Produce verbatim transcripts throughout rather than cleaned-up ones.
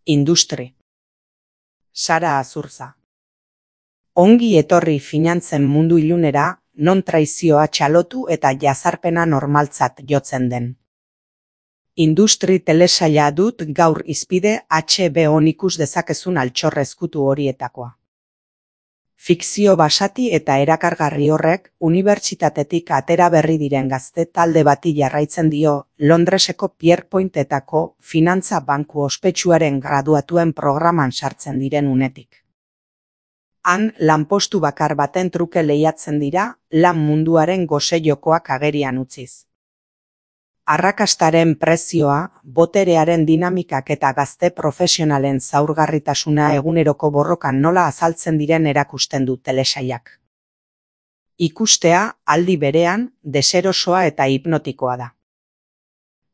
Industri. Sara Azurza. Ongi etorri finantzen mundu ilunera, non traizioa txalotu eta jazarpena normaltzat jotzen den. Industri telesaila dut gaur hizpide H B O ikus dezakezun altxor ezkutu horietakoa. Fikzio basati eta erakargarri horrek unibertsitatetik atera berri diren gazte talde bati jarraitzen dio Londreseko Pierpointetako finantza banku ospetsuaren graduatuen programan sartzen diren unetik. Han lanpostu bakar baten truke lehiatzen dira lan munduaren gose jokoak agerian utziz. Arrakastaren prezioa, boterearen dinamikak eta gazte profesionalen zaurgarritasuna eguneroko borrokan nola azaltzen diren erakusten du telesailak. Ikustea, aldi berean, deserosoa eta hipnotikoa da.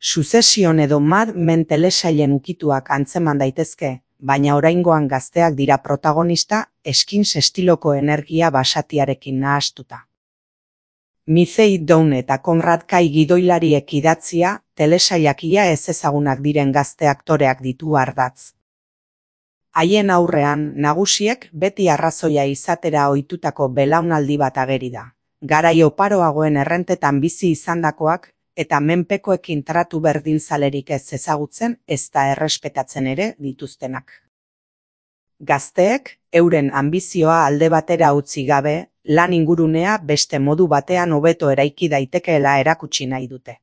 Succession edo Mad Men telesailen ukituak antzeman daitezke, baina oraingoan gazteak dira protagonista Skins estiloko energia basatiarekin nahastuta. Mizei Down eta Konrad Kai gidoilariek idatzia, telesailak ia ez ezagunak diren gazte aktoreak ditu ardatz. Haien aurrean, nagusiek beti arrazoia izatera ohitutako belaunaldi bat ageri da. Garai oparoagoen errentetan bizi izandakoak, eta menpekoekin tratu berdinzalerik ez ezagutzen ezta errespetatzen ere dituztenak. Gazteek, euren anbizioa alde batera utzi gabe, lan ingurunea beste modu batean hobeto eraiki daitekeela erakutsi nahi dute.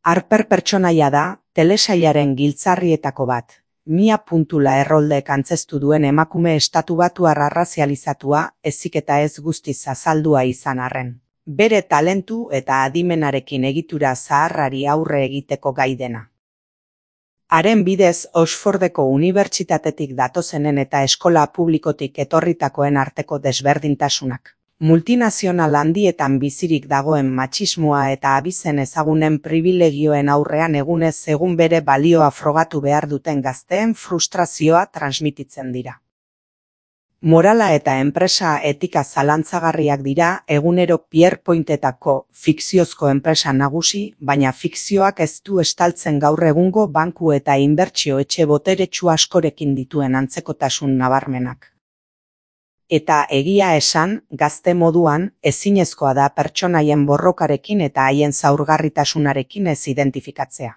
Harper pertsonaia da, telesailaren giltzarrietako bat, Mia Puntula erroldek antzestu duen emakume estatubatuar arrazializatua, ezik eta ez guztiz azaldua izan arren. Bere talentu eta adimenarekin egitura zaharrari aurre egiteko gai dena. Haren bidez Oxfordeko unibertsitatetik datozenen eta eskola publikotik etorritakoen arteko desberdintasunak. Multinazional handietan bizirik dagoen matxismoa eta abizen ezagunen pribilegioen aurrean egunez egun bere balioa frogatu behar duten gazteen frustrazioa transmititzen dira. Morala eta enpresa etika zalantzagarriak dira egunero Pierpointetako fikziozko enpresa nagusi, baina fikzioak ez du estaltzen gaur egungo banku eta inbertsio etxe boteretsu askorekin dituen antzekotasun nabarmenak. Eta egia esan, gazte moduan, ezinezkoa da pertsonaien borrokarekin eta haien zaurgarritasunarekin ez identifikatzea.